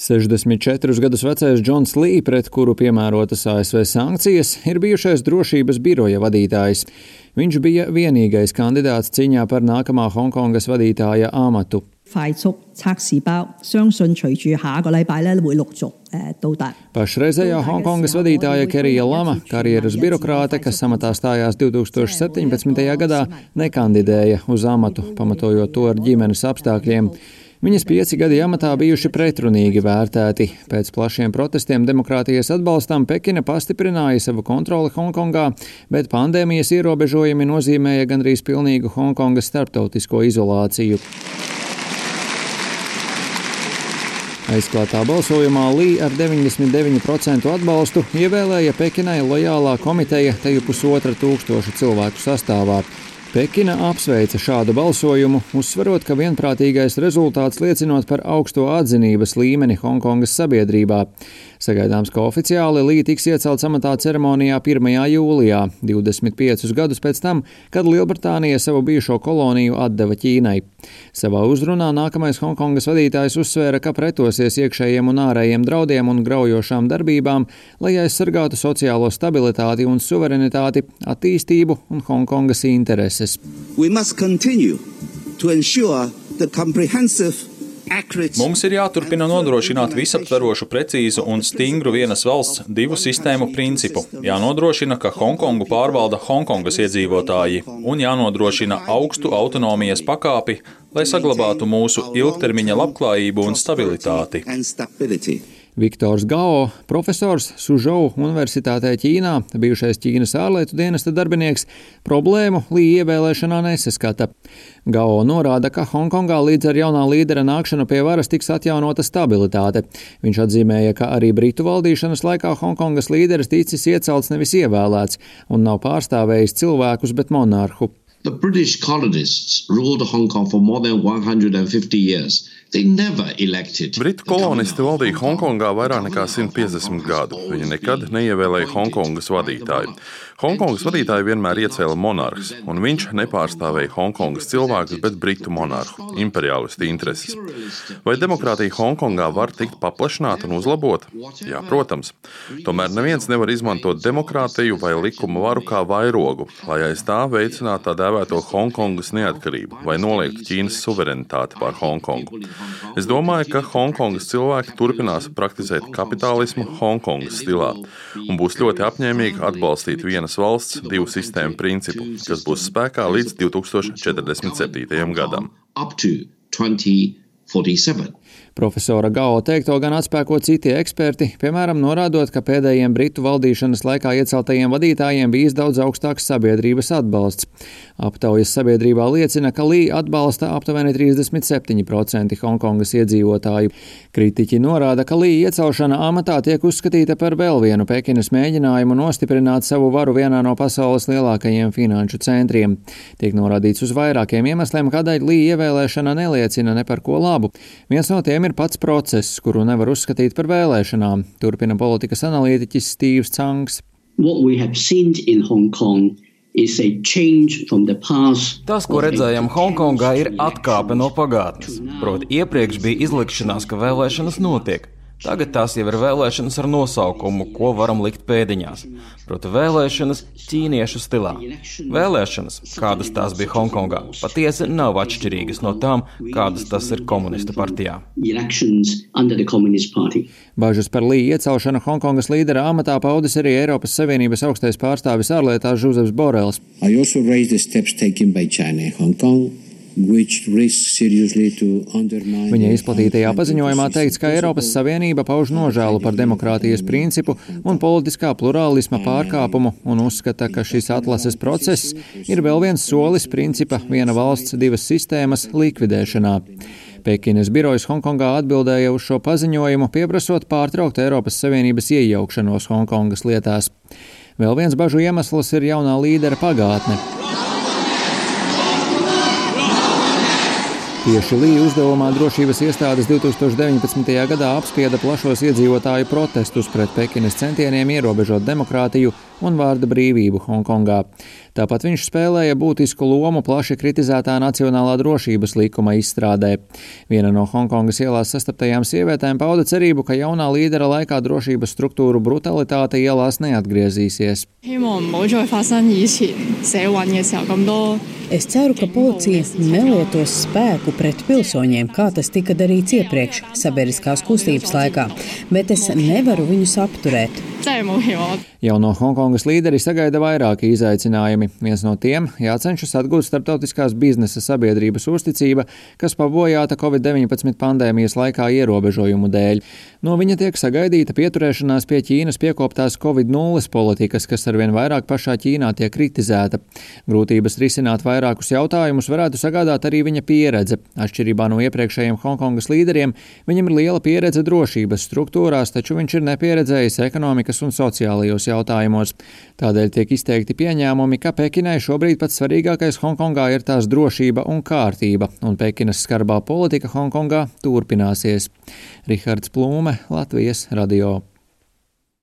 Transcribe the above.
64 gadus vecais Džons Lī, pret kuru piemērotas ASV sankcijas, ir bijušais drošības biroja vadītājs. Viņš bija vienīgais kandidāts cīņā par nākamā Hongkongas vadītāja amatu. Pašreizējā Hongkongas vadītāja Kerija Lama, karjeras birokrāte, kas amatā stājās 2017. gadā, nekandidēja uz amatu, pamatojot to ar ģimenes apstākļiem. Viņas 5 gadi amatā bijuši pretrunīgi vērtēti. Pēc plašiem protestiem demokrātijas atbalstam Pekina pastiprināja savu kontroli Hongkongā, bet pandēmijas ierobežojumi nozīmēja gandrīz pilnīgu Hongkongas starptautisko izolāciju. Aizklātā balsojumā Lī ar 99% atbalstu ievēlēja Pekinai lojālā komiteja teju 1500 cilvēku sastāvā. Pekina apsveica šādu balsojumu, uzsverot, ka vienprātīgais rezultāts liecinot par augsto atzinības līmeni Hongkongas sabiedrībā. Sagaidāms, ka oficiāli Lī tiks iecelts amatā ceremonijā 1. jūlijā, 25 gadus pēc tam, kad Lielbritānija savu bijušo koloniju atdeva Ķīnai. Savā uzrunā nākamais Hongkongas vadītājs uzsvēra, ka pretosies iekšējiem un ārējiem draudiem un graujošām darbībām, lai aizsargātu sociālo stabilitāti un suverenitāti, attīstību un Hongkongas intereses. Mums ir jāturpina nodrošināt visaptverošu, precīzu un stingru vienas valsts divu sistēmu principu. Jānodrošina, ka Hongkongu pārvalda Hongkongas iedzīvotāji un jānodrošina augstu autonomijas pakāpi, lai saglabātu mūsu ilgtermiņa labklājību un stabilitāti. Viktors Gao, profesors Suzhou Universitātē Ķīnā, bijušais Ķīnas ārlietu dienesta darbinieks, problēmu Lī ievēlēšanā nesaskata. Gao norāda, ka Hongkongā līdz ar jaunā līdera nākšanu pie varas tiks atjaunota stabilitāte. Viņš atzīmēja, ka arī Britu valdīšanas laikā Hongkongas līderis ticis iecelts nevis ievēlēts un nav pārstāvējis cilvēkus, bet monarhu. The British colonists ruled Hong Kong for more than 150 years. They never elected. Britu kolonisti valdīja Hongkongā vairāk nekā 150 gadu. Viņi nekad neievēlēja Hongkongas vadītāju. Hongkongas vadītāju vienmēr iecēla monarhs, un viņš nepārstāvēja Hongkongas cilvēkus, bet Britu monarhu, imperialistu intereses. Vai demokrātija Hongkongā var tikt paplašināta un uzlabota? Jā, protams. Tomēr neviens nevar izmantot demokrātiju vai likuma varu kā vairogu, lai aiz tā veicinātu tā dēvēto Hongkongas neatkarību vai noliegtu Ķīnas suverenitāti pār Hongkongu. Es domāju, ka Hongkongas cilvēki turpinās praktizēt kapitālismu Hongkongas stilā un būs ļoti apņēmīgi atbalstīt vienas valsts divu sistēmu principu, kas būs spēkā līdz 2047. gadam. Profesora Gao teikto gan atspēko citi eksperti, piemēram, norādot, ka pēdējiem Britu valdīšanas laikā ieceltajiem vadītājiem bijis daudz augstāks sabiedrības atbalsts. Aptaujas sabiedrībā liecina, ka Lī atbalsta aptuveni 37% Hongkongas iedzīvotāju. Kritiķi norāda, ka Lī iecelšana amatā tiek uzskatīta par vēl vienu Pekinas mēģinājumu nostiprināt savu varu vienā no pasaules lielākajiem finanšu centriem. Tiek norādīts uz vairākiem iemesliem, kādēļ Lī ievēlēšana neliecina ne par ko labu. Viens no tiem ir pats process, kuru nevar uzskatīt par vēlēšanām, turpina politikas analītiķis Stīvs Cangs. Tas, ko redzējām Hongkongā, ir atkāpe no pagātnes. Proti, iepriekš bija izlikšanās, ka vēlēšanas notiek. Tagad tās jau ir vēlēšanas ar nosaukumu, ko varam likt pēdiņās. Proti, vēlēšanas ķīniešu stilā. Vēlēšanas, kādas tās bija Hongkongā, patiesi nav atšķirīgas no tām, kādas tas ir komunistu partijā. Bažas par Lī iecelšanu Hongkongas līdera amatā paudis arī Eiropas Savienības augstais pārstāvis ārlietās Žozefs Borels. Viņa izplatītajā paziņojumā teikts, ka Eiropas Savienība pauž nožēlu par demokrātijas principu un politiskā plurālisma pārkāpumu un uzskata, ka šis atlases process ir vēl viens solis principa viena valsts divas sistēmas likvidēšanā. Pekinas birojas Hongkongā atbildēja uz šo paziņojumu, pieprasot pārtraukt Eiropas Savienības iejaukšanos Hongkongas lietās. Vēl viens bažu iemesls ir jaunā līdera pagātne. Tieši Lī uzdevumā drošības iestādes 2019. gadā apspieda plašos iedzīvotāju protestus pret Pekinas centieniem ierobežot demokrātiju un vārda brīvību Hongkongā. Tāpat viņš spēlēja būtisku lomu plaši kritizētā nacionālā drošības likuma izstrādē. Viena no Hongkongas ielās sastaptajām sievietēm pauda cerību, ka jaunā līdera laikā drošības struktūru brutalitāte ielās neatgriezīsies. Es ceru, ka policija nelietos spēku pret pilsoņiem, kā tas tika darīts iepriekš sabiedriskās kustības laikā, bet es nevaru viņus apturēt. Jauno Hongkongas līderi sagaida vairāki izaicinājumi. Viens no tiem – jācenšas atgūt starptautiskās biznesa sabiedrības uzticība, kas pabojāta Covid-19 pandēmijas laikā ierobežojumu dēļ. No viņa tiek sagaidīta pieturēšanās pie Ķīnas piekoptās Covid-0 politikas, kas arvien vairāk pašā Ķīnā tiek kritizēta. Grūtības risināt vairākus jautājumus varētu sagādāt arī viņa pieredze. Atšķirībā no iepriekšējiem Hongkongas līderiem, viņam ir liela pieredze drošības struktūrās, taču viņš ir nepieredzējis ekonomikas un sociālajos jautājumos. Tādēļ tiek izteikti pieņēmumi, ka Pekinai šobrīd pats svarīgākais Hongkongā ir tās drošība un kārtība, un Pekinas skarbā politika Hongkongā turpināsies. Rihards Plūme, Latvijas radio.